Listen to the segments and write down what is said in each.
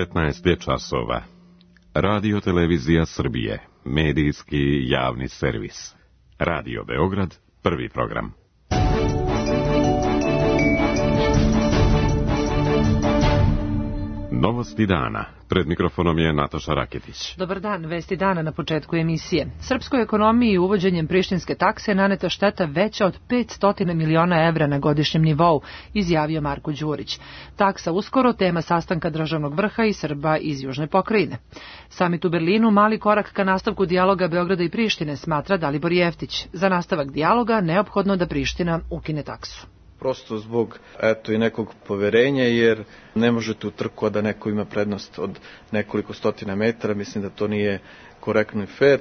19 je časova. Radio Televizija Srbije, medijski javni servis. Radio Beograd, prvi program. Novosti dana. Pred mikrofonom je Nataša Raketić. Dobar dan, vesti dana na početku emisije. Srpskoj ekonomiji uvođenjem prištinske takse naneta šteta veća od 500 miliona evra na godišnjem nivou, izjavio Marko Đurić. Taksa uskoro tema sastanka državnog vrha i Srba iz južne pokrajine. Samit u Berlinu mali korak ka nastavku dijaloga Beograda i Prištine, smatra Dalibor Jeftić. Za nastavak dijaloga neophodno da Priština ukine taksu. Prosto zbog i nekog poverenja, jer ne možete u trku da neko ima prednost od nekoliko stotina metara, mislim da to nije korektno i fair.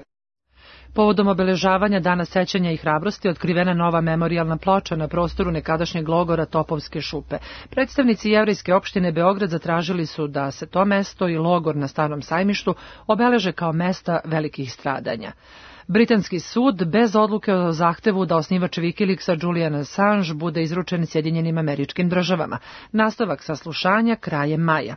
Povodom obeležavanja Dana sećanja i hrabrosti otkrivena nova memorijalna ploča na prostoru nekadašnjeg logora Topovske šupe. Predstavnici Jevrejske opštine Beograd zatražili su da se to mesto i logor na Starom sajmištu obeleže kao mesta velikih stradanja. Britanski sud bez odluke o zahtevu da osnivač Wikileaksa Julian Assange bude izručen Sjedinjenim Američkim Državama. Nastavak saslušanja krajem maja.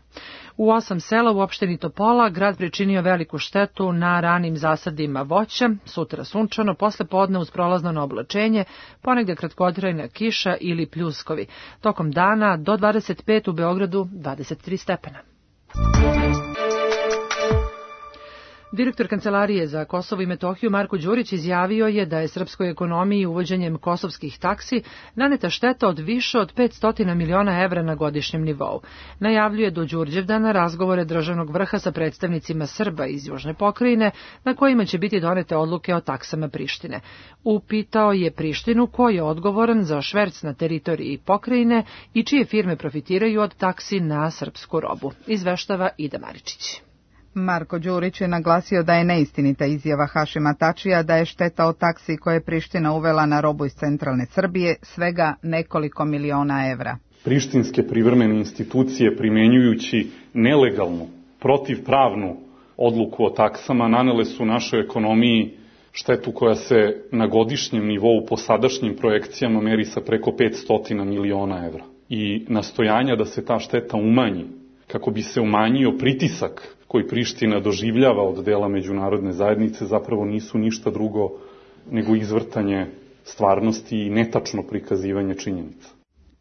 U 8 sela u opštini Topola grad pričinio veliku štetu na ranim zasadima voća, sutra sunčano, posle podne uz prolazno oblačenje, ponegde kratkotrajna kiša ili pljuskovi. Tokom dana do 25 u Beogradu 23 stepena. Direktor Kancelarije za Kosovo i Metohiju Marko Đurić izjavio je da je srpskoj ekonomiji uvođenjem kosovskih taksi naneta šteta od više od 500 miliona evra na godišnjem nivou. Najavljuje do Đurđevdana razgovore državnog vrha sa predstavnicima Srba iz južne pokrajine, na kojima će biti donete odluke o taksama Prištine. Upitao je Prištinu ko je odgovoran za šverc na teritoriji pokrajine i čije firme profitiraju od taksi na srpsku robu. Izveštava Ida Maričić. Marko Đurić je naglasio da je neistinita izjava Hašima Tačija da je šteta od taksi koje je Priština uvela na robu iz centralne Srbije svega nekoliko miliona evra. Prištinske privremene institucije, primenjujući nelegalnu, protivpravnu odluku o taksama, nanele su našoj ekonomiji štetu koja se na godišnjem nivou po sadašnjim projekcijama meri sa preko 500 miliona evra. I nastojanja da se ta šteta umanji, kako bi se umanjio pritisak koji Priština doživljava od dela međunarodne zajednice, zapravo nisu ništa drugo nego izvrtanje stvarnosti i netačno prikazivanje činjenica.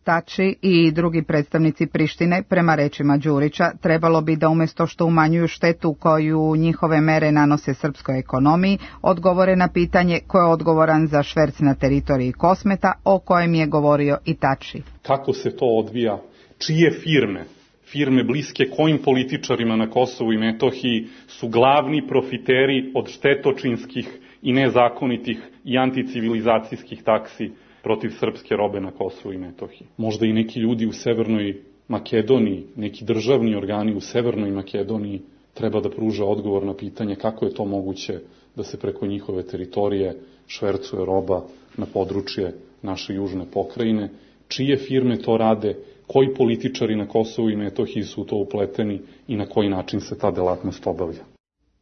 Tači i drugi predstavnici Prištine, prema rečima Đurića, trebalo bi da umjesto što umanjuju štetu koju njihove mere nanose srpskoj ekonomiji, odgovore na pitanje ko je odgovoran za šverc na teritoriji Kosmeta, o kojem je govorio i Tači. Kako se to odvija? Čije firme bliske kojim političarima na Kosovu i Metohiji su glavni profiteri od štetočinskih i nezakonitih i anticivilizacijskih taksi protiv srpske robe na Kosovu i Metohiji. Možda i neki ljudi u Severnoj Makedoniji, neki državni organi u Severnoj Makedoniji treba da pruže odgovor na pitanje kako je to moguće da se preko njihove teritorije švercuje roba na područje naše južne pokrajine, čije firme to rade, koji političari na Kosovu i Metohiji su to upleteni i na koji način se ta delatnost obavlja.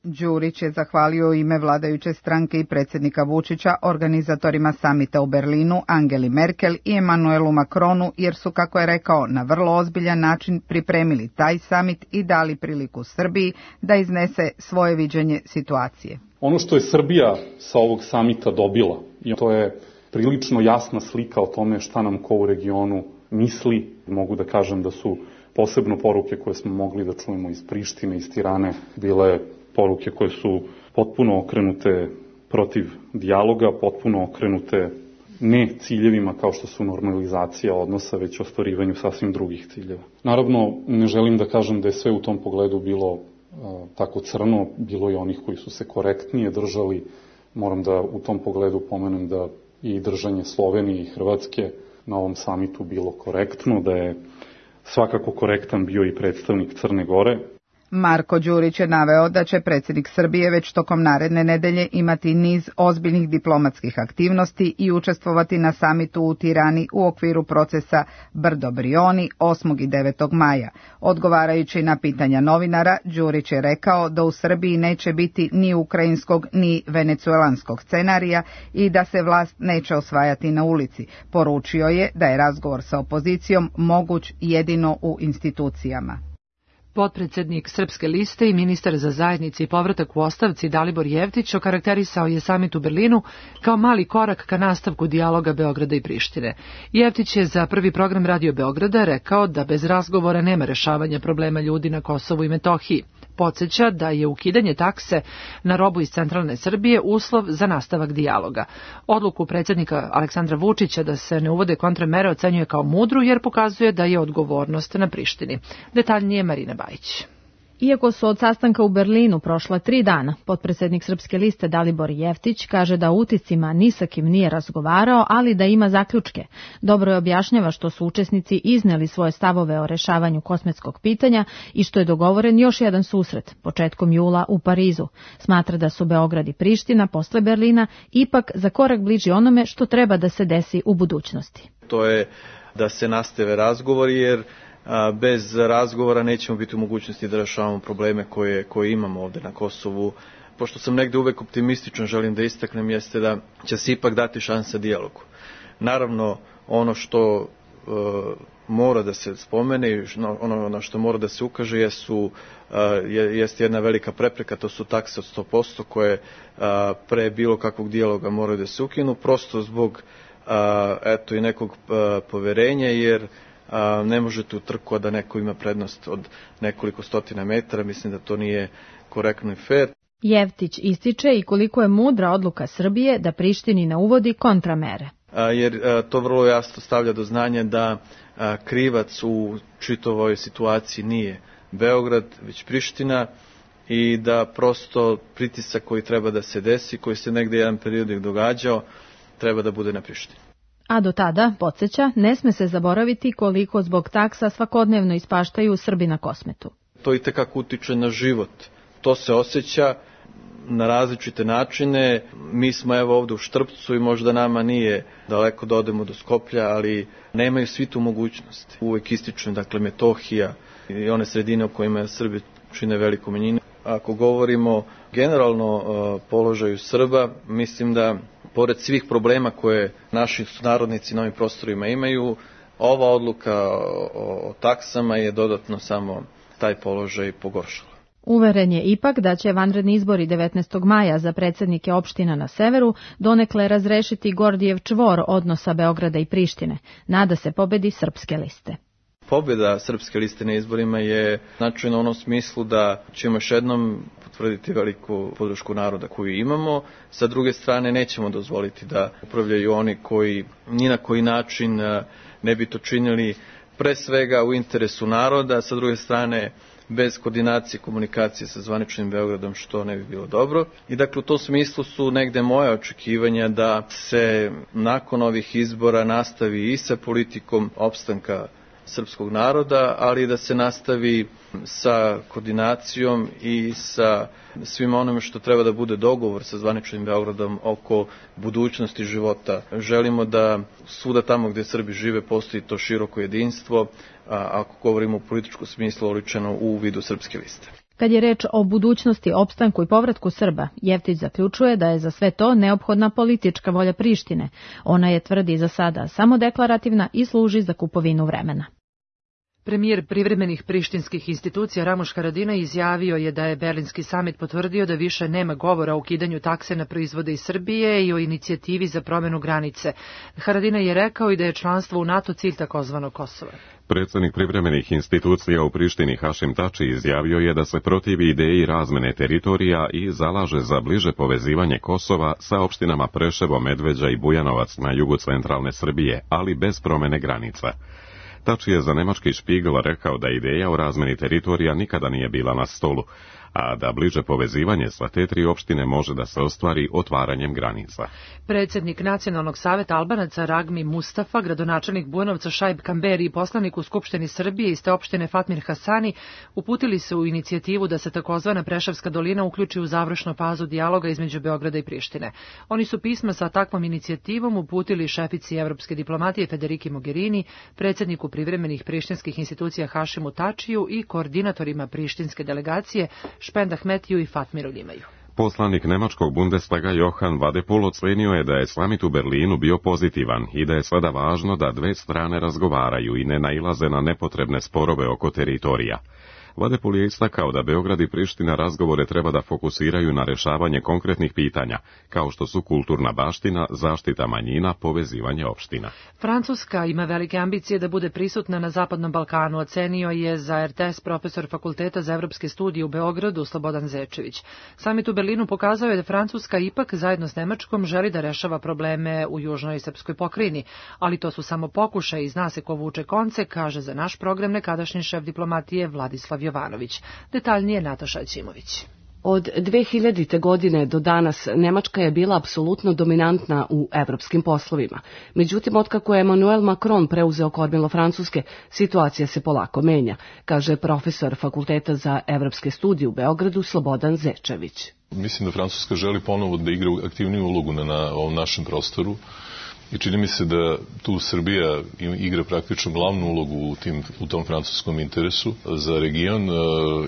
Đurić je zahvalio u ime vladajuće stranke i predsjednika Vučića organizatorima samita u Berlinu, Angeli Merkel i Emanuelu Macronu, jer su, kako je rekao, na vrlo ozbiljan način pripremili taj samit i dali priliku Srbiji da iznese svoje viđenje situacije. Ono što je Srbija sa ovog samita dobila, i to je prilično jasna slika o tome šta nam ko u regionu misli. Mogu da kažem da su posebno poruke koje smo mogli da čujemo iz Prištine, iz Tirane, bile poruke koje su potpuno okrenute protiv dijaloga, potpuno okrenute ne ciljevima kao što su normalizacija odnosa, već ostvarivanju sasvim drugih ciljeva. Naravno, ne želim da kažem da je sve u tom pogledu bilo tako crno, bilo je onih koji su se korektnije držali. Moram da u tom pogledu pomenem da i držanje Slovenije i Hrvatske na ovom samitu bilo korektno, da je svakako korektan bio i predstavnik Crne Gore. Marko Đurić je naveo da će predsjednik Srbije već tokom naredne nedelje imati niz ozbiljnih diplomatskih aktivnosti i učestvovati na samitu u Tirani u okviru procesa Brdo-Brioni 8. i 9. maja. Odgovarajući na pitanja novinara, Đurić je rekao da u Srbiji neće biti ni ukrajinskog ni venecuelanskog scenarija i da se vlast neće osvajati na ulici. Poručio je da je razgovor sa opozicijom moguć jedino u institucijama. Potpredsednik Srpske liste i ministar za zajednice i povratak u ostavci Dalibor Jevtić okarakterisao je samit u Berlinu kao mali korak ka nastavku dijaloga Beograda i Prištine. Jevtić je za Prvi program Radio Beograda rekao da bez razgovora nema rešavanja problema ljudi na Kosovu i Metohiji. Podsjeća da je ukidanje takse na robu iz centralne Srbije uslov za nastavak dijaloga. Odluku predsjednika Aleksandra Vučića da se ne uvode kontramere ocenjuje kao mudru jer pokazuje da je odgovornost na Prištini. Detaljnije Marina Bajić. Iako su od sastanka u Berlinu prošla 3 dana, potpredsednik Srpske liste Dalibor Jevtić kaže da uticima ni sa kim nije razgovarao, ali da ima zaključke. Dobro je objašnjava što su učesnici izneli svoje stavove o rešavanju kosmetskog pitanja i što je dogovoren još jedan susret, početkom jula u Parizu. Smatra da su Beograd i Priština posle Berlina ipak za korak bliži onome što treba da se desi u budućnosti. To je da se nastave razgovori jer bez razgovora nećemo biti u mogućnosti da rešavamo probleme koje imamo ovde na Kosovu. Pošto sam negde uvek optimističan, želim da istaknem, jeste da će se ipak dati šansa dijalogu. Naravno, ono što mora da se spomene i ono na što mora da se ukaže jeste jedna velika prepreka, to su takse od 100% koje pre bilo kakvog dijaloga moraju da se ukinu, prosto zbog i nekog poverenja, jer ne možete u trku da neko ima prednost od nekoliko stotina metara, mislim da to nije korektno i fair. Jevtić ističe i koliko je mudra odluka Srbije da Prištini ne uvodi kontramere. Jer to vrlo jasno stavlja do znanja da krivac u čitavoj situaciji nije Beograd, već Priština i da prosto pritisak koji treba da se desi, koji se negde jedan period događao, treba da bude na Prištini. A do tada, podsjeća, ne sme se zaboraviti koliko zbog taksa svakodnevno ispaštaju Srbi na Kosmetu. To itekako utiče na život. To se osjeća na različite načine. Mi smo evo ovde u Štrpcu i možda nama nije daleko da odemo do Skoplja, ali nemaju svi tu mogućnost. Uvek ističem, dakle, Metohija i one sredine u kojima Srbi čine veliku manjinu. Ako govorimo generalno položaju Srba, mislim da pored svih problema koje naši sunarodnici na ovim prostorima imaju, ova odluka o taksama je dodatno samo taj položaj pogoršala. Uveren je ipak da će vanredni izbori 19. maja za predsjednike opština na severu donekle razrešiti Gordijev čvor odnosa Beograda i Prištine. Nada se pobedi Srpske liste. Pobjeda Srpske liste na izborima je značajna u onom smislu da ćemo još jednom potvrditi veliku podršku naroda koju imamo. Sa druge strane, nećemo dozvoliti da upravljaju oni koji ni na koji način ne bi to činili pre svega u interesu naroda, sa druge strane bez koordinacije i komunikacije sa zvaničnim Beogradom, što ne bi bilo dobro. I dakle, u tom smislu su negde moje očekivanja da se nakon ovih izbora nastavi i sa politikom opstanka srpskog naroda, ali da se nastavi sa koordinacijom i sa svim onome što treba da bude dogovor sa zvaničnim Beogradom oko budućnosti života. Želimo da svuda tamo gde Srbi žive postoji to široko jedinstvo, ako govorimo u političkom smislu oličeno u vidu Srpske liste. Kad je reč o budućnosti, opstanku i povratku Srba, Jevtić zaključuje da je za sve to neophodna politička volja Prištine. Ona je, tvrdi, za sada samo deklarativna i služi za kupovinu vremena. Premijer privremenih prištinskih institucija Ramuš Haradinaj izjavio je da je Berlinski samit potvrdio da više nema govora o ukidanju takse na proizvode iz Srbije i o inicijativi za promenu granice. Haradinaj je rekao i da je članstvo u NATO cilj takozvanog Kosova. Predsjednik privremenih institucija u Prištini Hašim Tači izjavio je da se protivi ideji razmene teritorija i zalaže za bliže povezivanje Kosova sa opštinama Preševo, Medveđa i Bujanovac na jugu centralne Srbije, ali bez promene granica. Tači je za nemački Špigl rekao da ideja o razmeni teritorija nikada nije bila na stolu, a da bliže povezivanje sva te 3 opštine može da se ostvari otvaranjem granica. Predsjednik Nacionalnog saveta Albanaca Ragmi Mustafa, gradonačelnik Bujanovca Šaib Kamberi i poslanik u Skupštini Srbije iz te opštine Fatmir Hasani uputili se u inicijativu da se takozvana Preševska dolina uključi u završnu fazu dijaloga između Beograda i Prištine. Oni su pisma sa takvom inicijativom uputili šefici evropske diplomatije Federiki Mogherini, predsjedniku privremenih prištinskih institucija Hašimu Tačiju i koordinatorima prištinske delegacije Špend Ahmetiju i Fatmiru Ljimaju. Poslanik nemačkog Bundestaga Johan Vadepol ocenio je da je samit u Berlinu bio pozitivan i da je sada važno da 2 strane razgovaraju i ne nailaze na nepotrebne sporove oko teritorija. Vadepul je istakao da Beograd i Priština razgovore treba da fokusiraju na rešavanje konkretnih pitanja, kao što su kulturna baština, zaštita manjina, povezivanje opština. Francuska ima velike ambicije da bude prisutna na Zapadnom Balkanu, ocenio je za RTS profesor Fakulteta za evropske studije u Beogradu Slobodan Zečević. Samit u Berlinu pokazao je da Francuska ipak zajedno s Nemačkom želi da rešava probleme u južnoj srpskoj pokrajini, ali to su samo pokušaj i zna se ko vuče konce, kaže za naš program nekadašnji šef diplomatije Vladislav Jovanović. Detaljnije Nataša Ćimović. Od 2000. godine do danas Nemačka je bila apsolutno dominantna u evropskim poslovima. Međutim, otkako je Emmanuel Macron preuzeo kormilo Francuske, situacija se polako menja, kaže profesor Fakulteta za evropske studije u Beogradu Slobodan Zečević. Mislim da Francuska želi ponovo da igra aktivniju ulogu na ovom našem prostoru. I čini mi se da tu Srbija igra praktično glavnu ulogu u tom francuskom interesu za region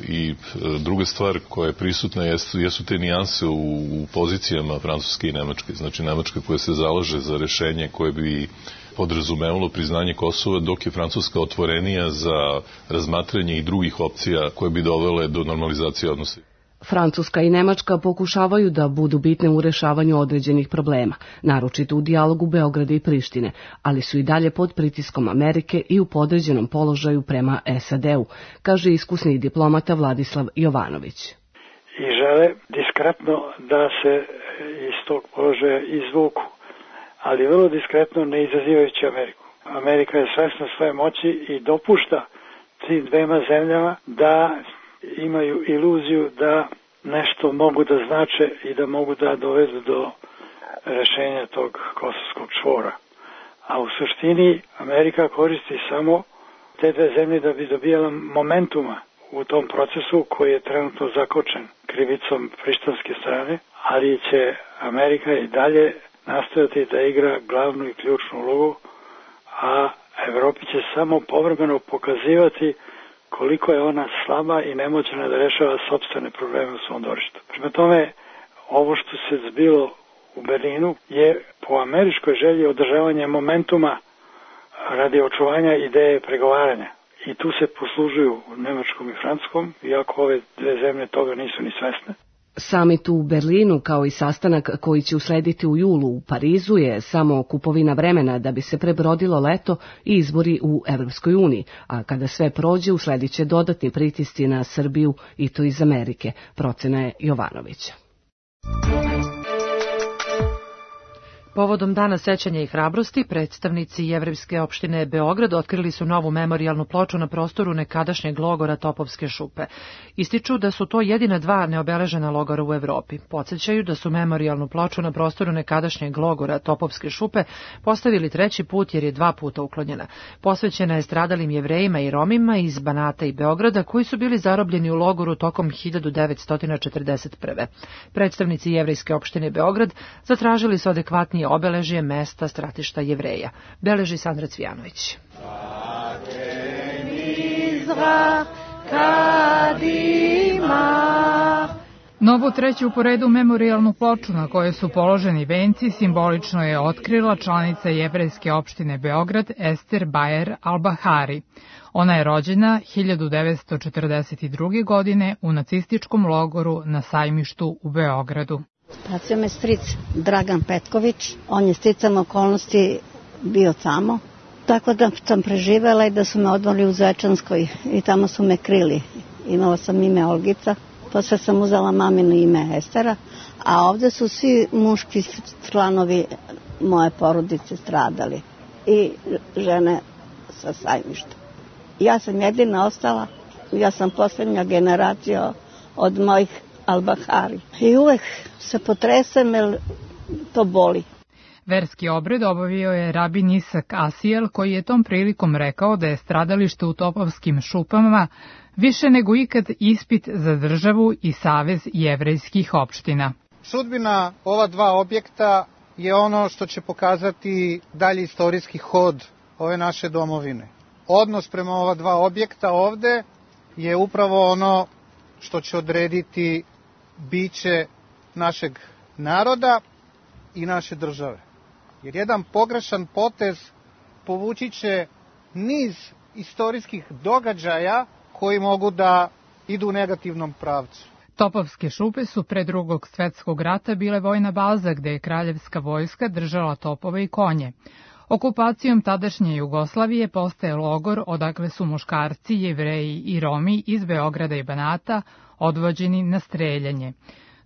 i druga stvar koja je prisutna jesu te nijanse u pozicijama Francuske i Nemačke. Znači Nemačka koja se zalaže za rešenje koje bi podrazumevalo priznanje Kosova, dok je Francuska otvorenija za razmatranje i drugih opcija koje bi dovele do normalizacije odnosa. Francuska i Nemačka pokušavaju da budu bitne u rešavanju određenih problema, naročito u dijalogu Beograda i Prištine, ali su i dalje pod pritiskom Amerike i u podređenom položaju prema SAD-u, kaže iskusni diplomata Vladislav Jovanović. I žele diskretno da se iz tog položaja izvuku, ali vrlo diskretno ne izazivajući Ameriku. Amerika je svesna svoje moći i dopušta tim dvema zemljama da imaju iluziju da nešto mogu da znače i da mogu da dovedu do rešenja tog kosovskog čvora. A u suštini Amerika koristi samo te dve zemlje da bi dobijala momentuma u tom procesu koji je trenutno zakočen krivicom prištanske strane, ali će Amerika i dalje nastojati da igra glavnu i ključnu ulogu, a Evropi će samo povremeno pokazivati koliko je ona slaba i nemoćna da rešava sopstvene probleme u svom dvorištu. Prema tome, ovo što se zbilo u Berlinu je po američkoj želji održavanje momentuma radi očuvanja ideje pregovaranja. I tu se poslužuju Nemačkom i Francuskom, iako ove dve zemlje toga nisu ni svesne. Samit u Berlinu, kao i sastanak koji će uslediti u julu u Parizu, je samo kupovina vremena da bi se prebrodilo leto i izbori u Evropskoj uniji, a kada sve prođe usledit će dodatni pritisci na Srbiju i to iz Amerike, procena je Jovanovića. Povodom Dana sećanja i hrabrosti, predstavnici Jevrejske opštine Beograd otkrili su novu memorijalnu ploču na prostoru nekadašnjeg logora Topovske šupe. Ističu da su to jedina dva neobeležena logora u Evropi. Podsećaju da su memorijalnu ploču na prostoru nekadašnjeg logora Topovske šupe postavili 3. put jer je 2 puta uklonjena. Posvećena je stradalim Jevrejima i Romima iz Banata i Beograda koji su bili zarobljeni u logoru tokom 1941. Predstavnici Jevrejske opštine Beograd zatražili su adekvatnije obeležje mesta stratišta Jevreja. Beleži Sandra Cvijanović. Novu 3. po redu memorijalnu ploču na kojoj su položeni venci simbolično je otkrila članica Jevrejske opštine Beograd Ester Bajer Albahari. Ona je rođena 1942. godine u nacističkom logoru na Sajmištu u Beogradu. Pratio me stric Dragan Petković, on je sticam okolnosti bio tamo, tako da sam preživela i da su me odmorili u Zvečanskoj i tamo su me krili. Imala sam ime Olgica, posle sam uzela mamino ime Estera, a ovde su svi muški članovi moje porodice stradali i žene sa Sajmišta. Ja sam jedina ostala, ja sam posljednja generacija od mojih Albahari. I uvek se potresem jer to boli. Verski obred obavio je rabin Isak Asijel, koji je tom prilikom rekao da je stradalište u Topovskim šupama više nego ikad ispit za državu i Savez jevrejskih opština. Sudbina ova dva objekta je ono što će pokazati dalji istorijski hod ove naše domovine. Odnos prema ova dva objekta ovde je upravo ono što će odrediti biće našeg naroda i naše države. Jer jedan pogrešan potez povući će niz istorijskih događaja koji mogu da idu u negativnom pravcu. Topovske šupe su pre Drugog svetskog rata bile vojna baza gde je kraljevska vojska držala topove i konje. Okupacijom tadašnje Jugoslavije postaje logor odakle su muškarci, Jevreji i Romi iz Beograda i Banata odvođeni na streljanje.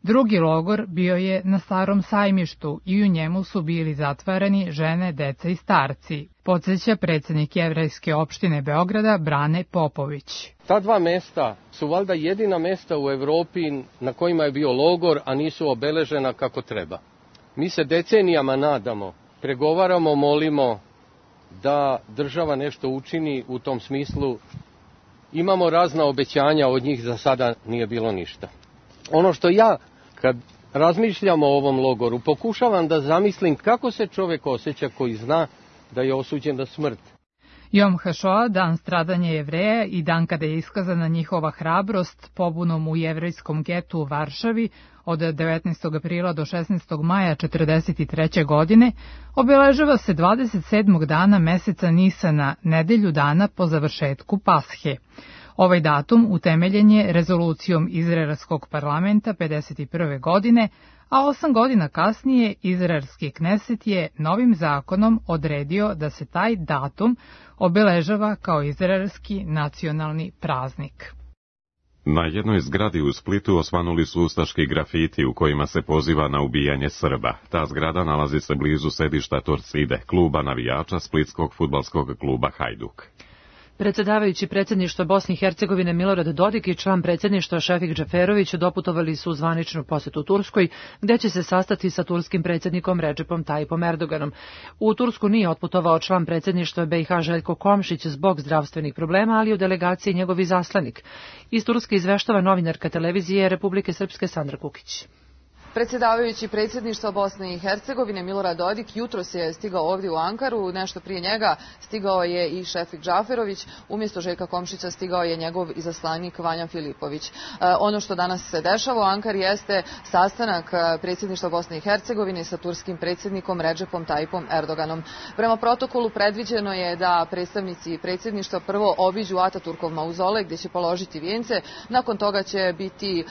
Drugi logor bio je na Starom sajmištu i u njemu su bili zatvarani žene, deca i starci, podsjeća predsednik Jevrejske opštine Beograda Brane Popović. Ta dva mesta su valjda jedina mesta u Evropi na kojima je bio logor, a nisu obeležena kako treba. Mi se decenijama nadamo, pregovaramo, molimo da država nešto učini u tom smislu. Imamo razna obećanja, od njih za sada nije bilo ništa. Ono što ja, kad razmišljam o ovom logoru, pokušavam da zamislim kako se čovjek osjeća koji zna da je osuđen na smrt. Jom HaShoah, dan stradanja Jevreja i dan kada je iskazana njihova hrabrost pobunom u jevrejskom getu u Varšavi od 19. aprila do 16. maja 1943. godine, obeležava se 27. dana meseca Nisana, nedelju dana po završetku Pashe. Ovaj datum utemeljen je rezolucijom Izraelskog parlamenta 51. godine, a 8 godina kasnije izraelski Kneset je novim zakonom odredio da se taj datum obeležava kao izraelski nacionalni praznik. Na jednoj zgradi u Splitu osvanuli su ustaški grafiti u kojima se poziva na ubijanje Srba. Ta zgrada nalazi se blizu sedišta Torcide, kluba navijača splitskog fudbalskog kluba Hajduk. Predsjedavajući predsjedništva Bosne i Hercegovine Milorad Dodik i član predsjedništva Šefik Džaferović doputovali su u zvaničnu posetu Turskoj, gde će se sastati sa turskim predsjednikom Redžepom Tajipom Erdoganom. U Tursku nije otputovao član predsjedništva BiH Željko Komšić zbog zdravstvenih problema, ali u delegaciji njegov izaslanik. Iz Turske izveštava novinarka televizije Republike Srpske Sandra Kukić. Predsjedavajući predsjedništva Bosne i Hercegovine Milorad Dodik jutros je stigao ovdje u Ankaru, nešto prije njega stigao je i Šefik Džaferović, umjesto Željka Komšića stigao je njegov izaslanik Vanja Filipović. Ono što danas se dešava u Ankari jeste sastanak predsjedništva Bosne i Hercegovine sa turskim predsjednikom Redžepom Tajipom Erdoganom. Prema protokolu predviđeno je da predstavnici predsjedništva prvo obiđu Ataturkov mauzolej gdje će položiti vijence, nakon toga će biti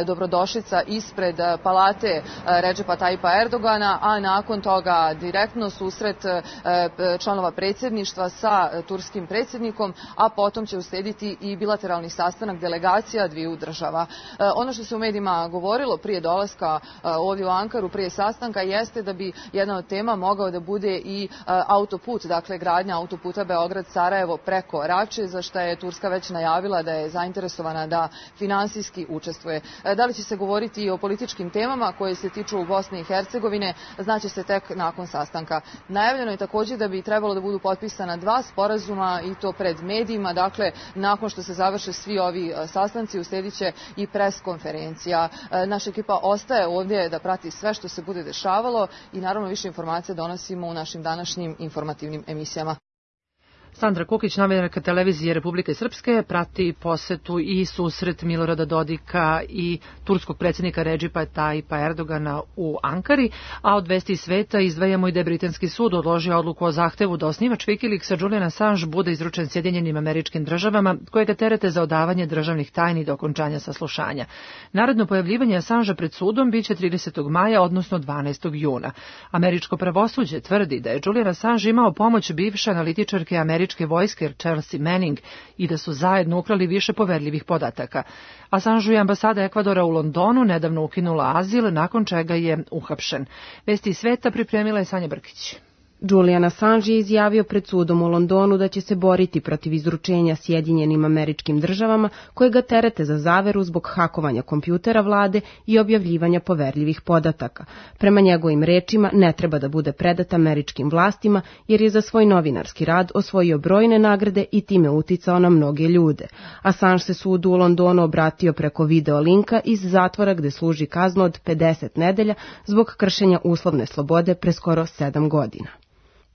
dobrodošlica ispred palate Redžepa Tajipa Erdogana, a nakon toga direktno susret članova predsjedništva sa turskim predsjednikom, a potom će uslijediti i bilateralni sastanak delegacija dviju država. Ono što se u medijima govorilo prije dolaska ovdje u Ankaru, prije sastanka, jeste da bi jedna od tema mogao da bude i autoput, dakle gradnja autoputa Beograd-Sarajevo preko Rače, za što je Turska već najavila da je zainteresovana da finansijski učestvuje. Da li će se govoriti i o političkim temama koje se tiču Bosne i Hercegovine, znaće se tek nakon sastanka. Najavljeno je također da bi trebalo da budu potpisana dva sporazuma i to pred medijima, dakle nakon što se završe svi ovi sastanci uslijedit će i pres konferencija. Naša ekipa ostaje ovdje da prati sve što se bude dešavalo i naravno više informacija donosimo u našim današnjim informativnim emisijama. Sandra Kukić, novinarka televizije Republike Srpske, prati posetu i susret Milorada Dodika i turskog predsjednika Redžepa Tajipa Erdogana u Ankari, a od vesti sveta izdvajamo i da je britanski sud odložio odluku o zahtevu da osnivač Wikileaksa Julian Assange bude izručen Sjedinjenim Američkim Državama, koje ga terete za odavanje državnih tajni do okončanja saslušanja. Naredno pojavljivanje Assangea pred sudom biće 30. maja, odnosno 12. juna. Američko pravosuđe tvrdi da je Julian Assange imao pomoć bivše analitičarke američke vojske Chelsea Manning i da su zajedno ukrali više poverljivih podataka. Assangeu je ambasada Ekvadora u Londonu nedavno ukinula azil, nakon čega je uhapšen. Vesti iz sveta pripremila je Sanja Brkić. Julian Assange je izjavio pred sudom u Londonu da će se boriti protiv izručenja Sjedinjenim Američkim Državama koje ga terete za zaveru zbog hakovanja kompjutera vlade i objavljivanja poverljivih podataka. Prema njegovim rečima ne treba da bude predat američkim vlastima jer je za svoj novinarski rad osvojio brojne nagrade i time uticao na mnoge ljude. Assange se sudu u Londonu obratio preko video linka iz zatvora gde služi kaznu od 50 nedelja zbog kršenja uslovne slobode pre skoro 7 godina.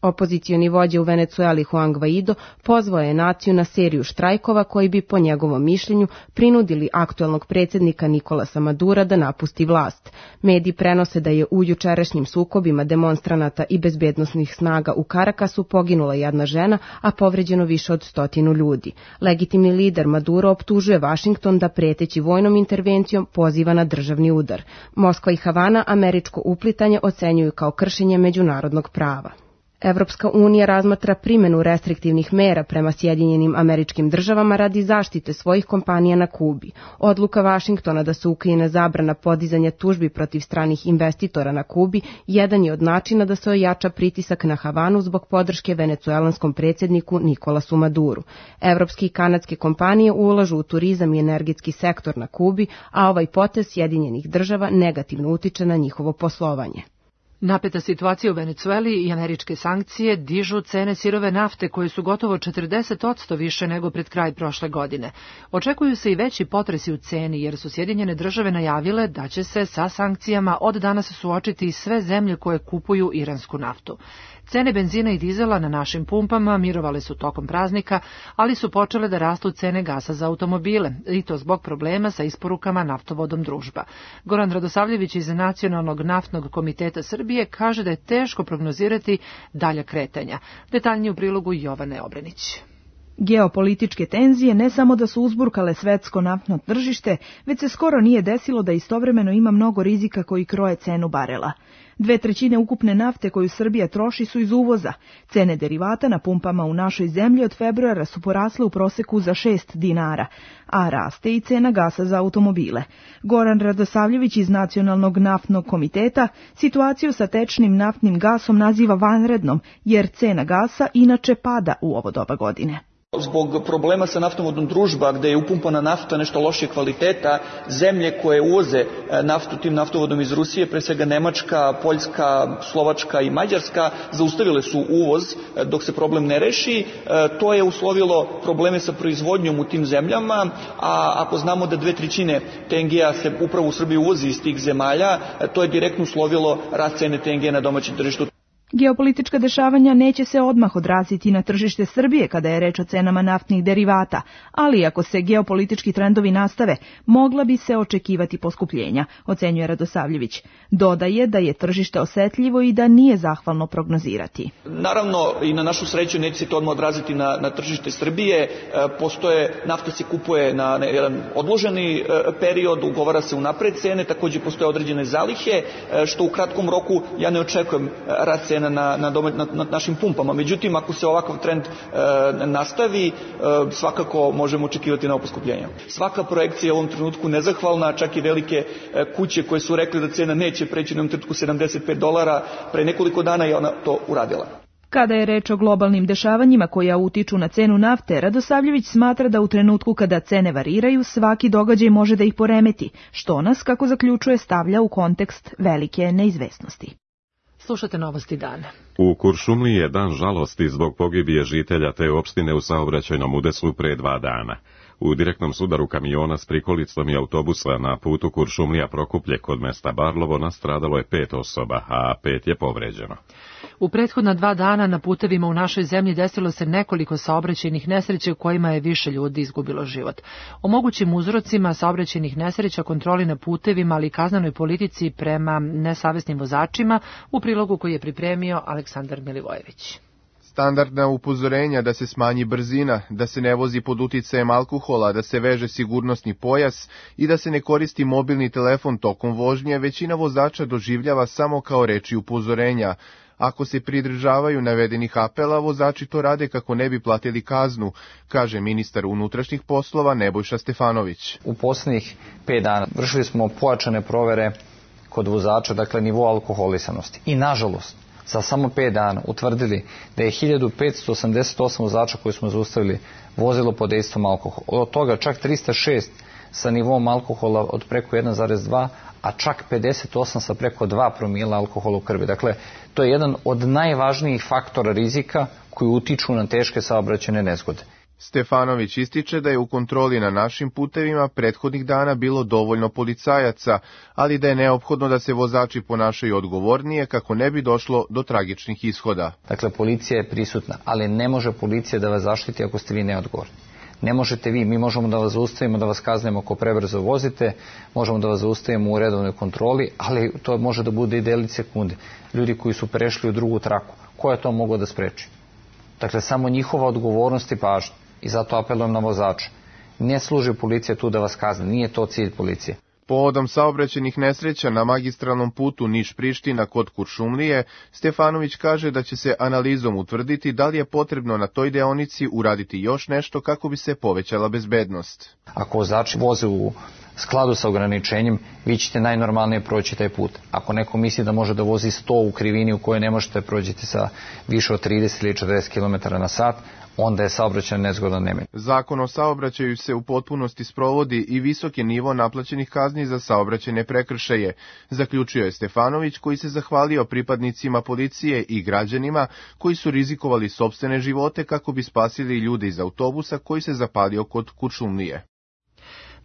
Opozicioni vođa u Venecueli Juan Guaido pozvao je naciju na seriju štrajkova koji bi po njegovom mišljenju prinudili aktuelnog predsjednika Nikolasa Madura da napusti vlast. Mediji prenose da je u jučerašnjim sukobima demonstranata i bezbednosnih snaga u Karakasu poginula jedna žena, a povređeno više od 100 ljudi. Legitimni lider Maduro optužuje Vašington da preteći vojnom intervencijom poziva na državni udar. Moskva i Havana američko uplitanje ocenjuju kao kršenje međunarodnog prava. Evropska unija razmatra primjenu restriktivnih mera prema Sjedinjenim Američkim Državama radi zaštite svojih kompanija na Kubi. Odluka Vašingtona da se ukine zabrana podizanja tužbi protiv stranih investitora na Kubi jedan je od načina da se ojača pritisak na Havanu zbog podrške venecuelanskom predsjedniku Nikolasu Maduru. Evropske i kanadske kompanije ulažu u turizam i energetski sektor na Kubi, a ovaj potez Sjedinjenih Država negativno utiče na njihovo poslovanje. Napeta situacija u Venecueli i američke sankcije dižu cene sirove nafte koje su gotovo 40% više nego pred kraj prošle godine. Očekuju se i veći potresi u ceni jer su Sjedinjene Države najavile da će se sa sankcijama od danas suočiti i sve zemlje koje kupuju iransku naftu. Cene benzina i dizela na našim pumpama mirovale su tokom praznika, ali su počele da rastu cene gasa za automobile, i to zbog problema sa isporukama naftovodom Družba. Goran Radosavljević iz Nacionalnog naftnog komiteta Srbije kaže da je teško prognozirati dalja kretanja. Detaljnije u prilogu Jovane Obrenić. Geopolitičke tenzije ne samo da su uzburkale svetsko naftno tržište, već se skoro nije desilo da istovremeno ima mnogo rizika koji kroje cenu barela. 2/3 ukupne nafte koju Srbija troši su iz uvoza. Cene derivata na pumpama u našoj zemlji od februara su porasle u proseku za 6 dinara, a raste i cena gasa za automobile. Goran Radosavljević iz Nacionalnog naftnog komiteta situaciju sa tečnim naftnim gasom naziva vanrednom, jer cena gasa inače pada u ovo doba godine. Zbog problema sa naftovodom Družba, gde je upumpana nafta nešto lošije kvaliteta, zemlje koje uvoze naftu tim naftovodom iz Rusije, pre svega Nemačka, Poljska, Slovačka i Mađarska, zaustavile su uvoz dok se problem ne reši. To je uslovilo probleme sa proizvodnjom u tim zemljama, a ako znamo da 2/3 TNG-a se upravo u Srbiji uvozi iz tih zemalja, to je direktno uslovilo rast cene TNG na domaćem tržištu. Geopolitička dešavanja neće se odmah odraziti na tržište Srbije kada je reč o cenama naftnih derivata, ali ako se geopolitički trendovi nastave, mogla bi se očekivati poskupljenja, ocenjuje Radosavljević. Dodaje da je tržište osetljivo i da nije zahvalno prognozirati. Naravno, i na našu sreću neće se to odmah odraziti na tržište Srbije. Nafta se kupuje na jedan odloženi period, ugovara se unapred cene, takođe postoje određene zalihe, što u kratkom roku ja ne očekujem rast cena na našim pumpama. Međutim, ako se ovakav trend nastavi, svakako možemo očekivati novo poskupljenje. Svaka projekcija je u ovom trenutku nezahvalna, čak i velike kuće koje su rekli da cena neće preći na ovom trenutku $75, pre nekoliko dana je ona to uradila. Kada je reč o globalnim dešavanjima koja utiču na cenu nafte, Radosavljević smatra da u trenutku kada cene variraju, svaki događaj može da ih poremeti, što nas, kako zaključuje, stavlja u kontekst velike neizvesnosti. Slušate Novosti dana. U Kuršumliji je dan žalosti zbog pogibije žitelja te opštine u saobraćajnom udesu pre 2 dana. U direktnom sudaru kamiona s prikolicom i autobusa na putu Kuršumlija-Prokuplje kod mesta Barlovo nastradalo je 5 osoba, a 5 je povređeno. U prethodna 2 dana na putevima u našoj zemlji desilo se nekoliko saobraćajnih nesreća u kojima je više ljudi izgubilo život. O mogućim uzrocima saobraćajnih nesreća, kontroli na putevima, ali i kaznenoj politici prema nesavesnim vozačima u prilogu koji je pripremio Aleksandar Milivojević. Standardna upozorenja da se smanji brzina, da se ne vozi pod uticajem alkohola, da se veže sigurnosni pojas i da se ne koristi mobilni telefon tokom vožnje, većina vozača doživljava samo kao reči upozorenja. Ako se pridržavaju navedenih apela, vozači to rade kako ne bi platili kaznu, kaže ministar unutrašnjih poslova Nebojša Stefanović. U poslednjih 5 dana vršili smo pojačane provere kod vozača, dakle nivo alkoholisanosti. I nažalost, za samo 5 dana utvrdili da je 1588 vozača koji smo zaustavili vozilo pod dejstvom alkohola. Od toga čak 306 sa nivom alkohola od preko 1,2, a čak 58 sa preko 2 promila alkohola u krvi. Dakle, to je jedan od najvažnijih faktora rizika koji utiču na teške saobraćajne nezgode. Stefanović ističe da je u kontroli na našim putevima prethodnih dana bilo dovoljno policajaca, ali da je neophodno da se vozači ponašaju odgovornije kako ne bi došlo do tragičnih ishoda. Dakle, policija je prisutna, ali ne može policija da vas zaštiti ako ste vi neodgovorni. Ne možete vi, mi možemo da vas zaustavimo, da vas kaznimo ako prebrzo vozite, možemo da vas zaustavimo u redovnoj kontroli, ali to može da bude i delić sekunde. Ljudi koji su prešli u drugu traku, ko je to mogao da spreči? Dakle, samo njihova odgovornost i pažnja. I zato apelujem na vozače. Ne služi policija tu da vas kazne, nije to cilj policije. Povodom saobraćajnih nesreća na magistralnom putu Niš-Priština kod Kuršumlije, Stefanović kaže da će se analizom utvrditi da li je potrebno na toj deonici uraditi još nešto kako bi se povećala bezbednost. Ako vozači voze u skladu sa ograničenjem, vi ćete najnormalnije proći taj put. Ako neko misli da može da vozi 100 u krivini u kojoj ne možete prođiti sa više od 30 ili 40 km na sat, onda je saobraćajna nezgoda nemen. Zakon o saobraćaju se u potpunosti sprovodi i visok je nivo naplaćenih kazni za saobraćajne prekršaje, zaključio je Stefanović, koji se zahvalio pripadnicima policije i građanima koji su rizikovali sopstvene živote kako bi spasili ljude iz autobusa koji se zapalio kod Kuršumlije.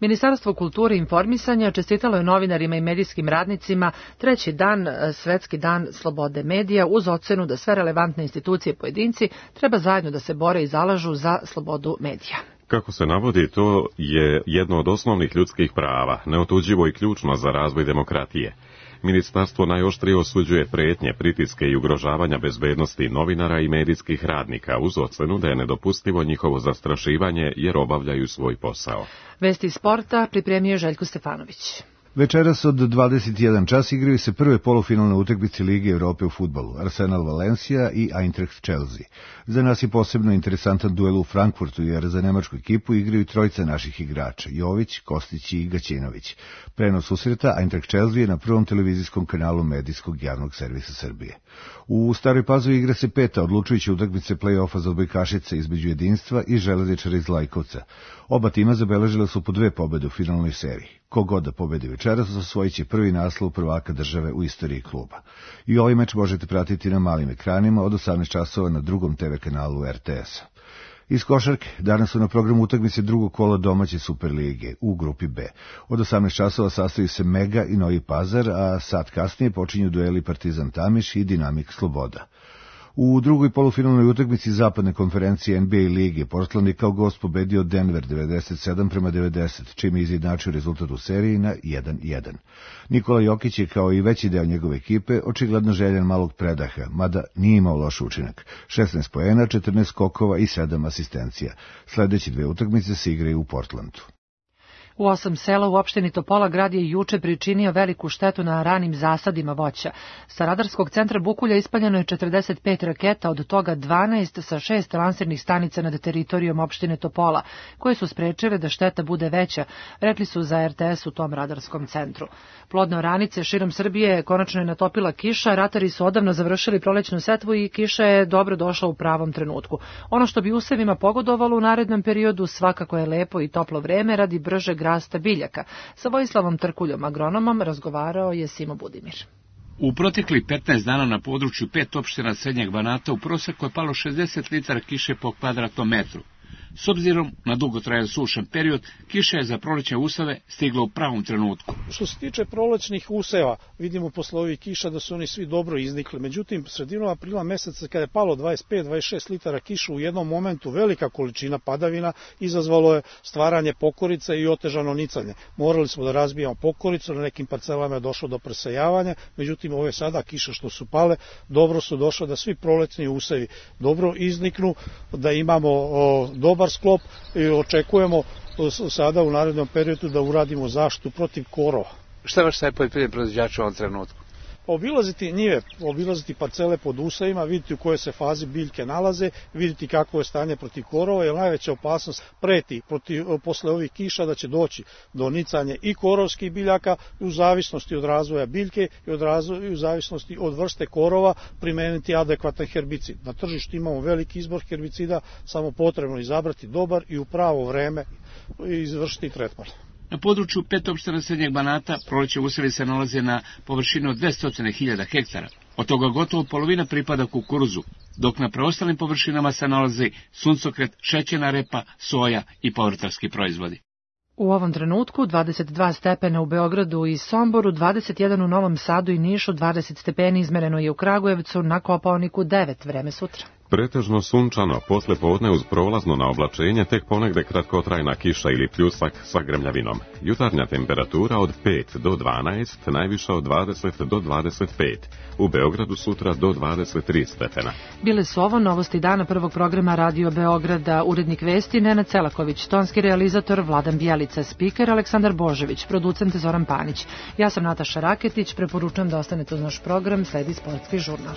Ministarstvo kulture i informisanja čestitalo je novinarima i medijskim radnicima treći dan, Svetski dan slobode medija, uz ocenu da sve relevantne institucije i pojedinci treba zajedno da se bore i zalažu za slobodu medija. Kako se navodi, to je jedno od osnovnih ljudskih prava, neotuđivo i ključno za razvoj demokratije. Ministarstvo najoštrije osuđuje pretnje, pritiske i ugrožavanja bezbednosti novinara i medijskih radnika uz ocenu da je nedopustivo njihovo zastrašivanje jer obavljaju svoj posao. Vesti sporta pripremio je Željko Stefanović. Večeras od 21 čas igraju se prve polufinalne utakmice Lige Evrope u fudbalu, Arsenal Valencia i Eintracht Chelsea. Za nas je posebno interesantan duel u Frankfurtu, jer za nemačku ekipu igraju trojica naših igrača, Jović, Kostić i Gaćinović. Prenos susreta Eintracht Chelsea je na prvom televizijskom kanalu medijskog javnog servisa Srbije. U Staroj Pazovi igra se peta odlučujuća utakmice play-offa za odbojkašice između Jedinstva i Železničara iz Lajkovca. Oba tima zabeležile su po 2 pobede u finalnoj seriji. Kogod da pobedi večeras osvojit će prvi naslov prvaka države u istoriji kluba. I ovaj meč možete pratiti na malim ekranima od 18 časova na drugom TV kanalu RTS-a. Iz košarke, danas su na programu utakmice drugog kola domaće Superlige u grupi B. Od 18 časova sastaju se Mega i Novi Pazar, a sat kasnije počinju dueli Partizan Tamiš i Dinamik Sloboda. U drugoj polufinalnoj utakmici zapadne konferencije NBA lige Portland je kao gost pobedio Denver 97-90, čime je izjednačio rezultat u seriji na 1-1. Nikola Jokić je kao i veći deo njegove ekipe očigledno željan malog predaha, mada nije imao loš učinak. 16 poena, 14 skokova i 7 asistencija. Sledeće 2 utakmice se igraju u Portlandu. U 8 sela u opštini Topola grad je juče pričinio veliku štetu na ranim zasadima voća. Sa radarskog centra Bukulja ispaljeno je 45 raketa, od toga 12 sa 6 lansirnih stanica nad teritorijom opštine Topola, koje su sprečile da šteta bude veća, rekli su za RTS u tom radarskom centru. Plodne oranice širom Srbije konačno je natopila kiša, ratari su odavno završili prolećnu setvu i kiša je dobro došla u pravom trenutku. Ono što bi usevima pogodovalo u narednom periodu svakako je lepo i toplo vreme radi bržeg rasta biljaka. Sa Vojislavom Trkuljom, agronomom, razgovarao je Simo Budimir. U proteklih 15 dana na području 5 opština Srednjeg Banata u proseku je palo 60 litara kiše po kvadratnom metru. S obzirom na dugotrajan sušan period, kiša je za prolećne useve stigla u pravom trenutku. Što se tiče prolećnih useva, vidimo posle ovih kiša da su oni svi dobro iznikli. Međutim, sredinom aprila meseca kada je palo 25-26 litara kiša u jednom momentu, velika količina padavina izazvalo je stvaranje pokorica i otežano nicanje. Morali smo da razbijamo pokoricu, na nekim parcelama je došlo do presejavanja, međutim ove sada kiše što su pale, dobro su došle da svi prolećni usevi dobro izniknu, da imamo dobar sklop i očekujemo sada u narednom periodu da uradimo zaštitu protiv korova. Šta vaš taj poljoprivredni proizvođač u ovom trenutku? Obilaziti njive, obilaziti parcele pod usevima, vidjeti u kojoj se fazi biljke nalaze, vidjeti kako je stanje protiv korova, jer najveća opasnost preti posle ovih kiša da će doći do nicanja i korovskih biljaka u zavisnosti od razvoja biljke i u zavisnosti od vrste korova primeniti adekvatan herbicid. Na tržištu imamo veliki izbor herbicida, samo potrebno izabrati dobar i u pravo vreme izvršiti tretman. Na području 5 opština Srednjeg Banata prolećne usevi se nalaze na površini od 200.000 hektara. Od toga gotovo polovina pripada kukuruzu, dok na preostalim površinama se nalazi suncokret, šećerna repa, soja i povrtarski proizvodi. U ovom trenutku 22 stepena u Beogradu i Somboru, 21 u Novom Sadu i Nišu, 20 stepeni izmereno je u Kragujevcu, na Kopaoniku 9, vreme sutra. Pretežno sunčano, posle podne uz prolazno na oblačenje, tek ponegde kratkotrajna kiša ili pljusak sa grmljavinom. Jutarnja temperatura od 5 do 12, najviša od 20 do 25. U Beogradu sutra do 23 stepena. Bile su ovo novosti dana prvog programa Radio Beograda, urednik vesti Nenad Celaković, tonski realizator Vladan Bjelica, spiker Aleksandar Božević, producent Zoran Panić. Ja sam Nataša Raketić, preporučujem da ostanete uz naš program, sledi sportski žurnal.